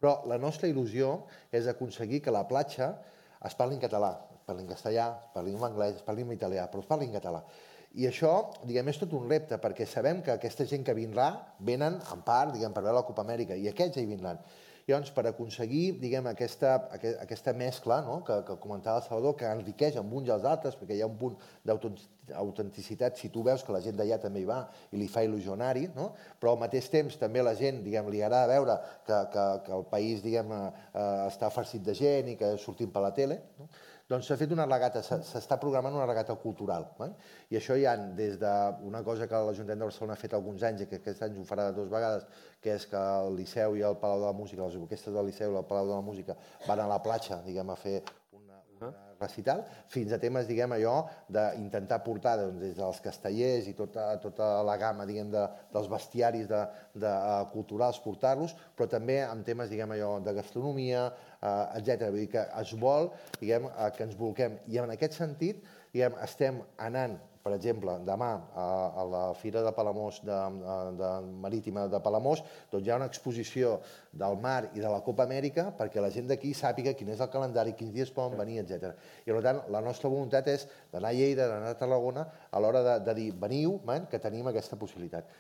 Però la nostra il·lusió és aconseguir que la platja es parli en català, es parli en castellà, es parli en anglès, es parli en italià, però es parli en català. I això, diguem, és tot un repte, perquè sabem que aquesta gent que vindrà venen, en part, diguem, per veure la Copa Amèrica, i aquests hi vindran. Llavors, per aconseguir, diguem, aquesta mescla, no?, que comentava el Salvador, que enriqueix amb uns i els altres, perquè hi ha un punt d'autenticitat, si tu veus que la gent d'allà també hi va i li fa il·lusió anar-hi, no? Però al mateix temps també la gent, diguem, li agrada veure que el país, diguem, està farcit de gent i que sortim per la tele, no? Doncs s'ha fet una regata, s'està programant una regata cultural. I això hi ha des d'una cosa que l'Ajuntament de Barcelona ha fet alguns anys i que aquest any ho farà 2 vegades, que és que el Liceu i el Palau de la Música, les orquestres del Liceu i el Palau de la Música van a la platja, diguem, a fer una recital, fins a temes, diguem, allò d'intentar portar des dels castellers i tota la gamma, diguem, dels bestiaris culturals, portar-los, però també amb temes, diguem, allò de gastronomia, etc. Vull dir que es vol, diguem, que ens bolquem. I en aquest sentit, diguem, estem anant, per exemple, demà a la Fira de Palamós, marítima de Palamós, doncs hi ha una exposició del mar i de la Copa Amèrica perquè la gent d'aquí sàpiga quin és el calendari, quins dies poden venir, etc. I per tant, la nostra voluntat és d'anar a Lleida, d'anar a Tarragona, a l'hora de dir, veniu, que tenim aquesta possibilitat.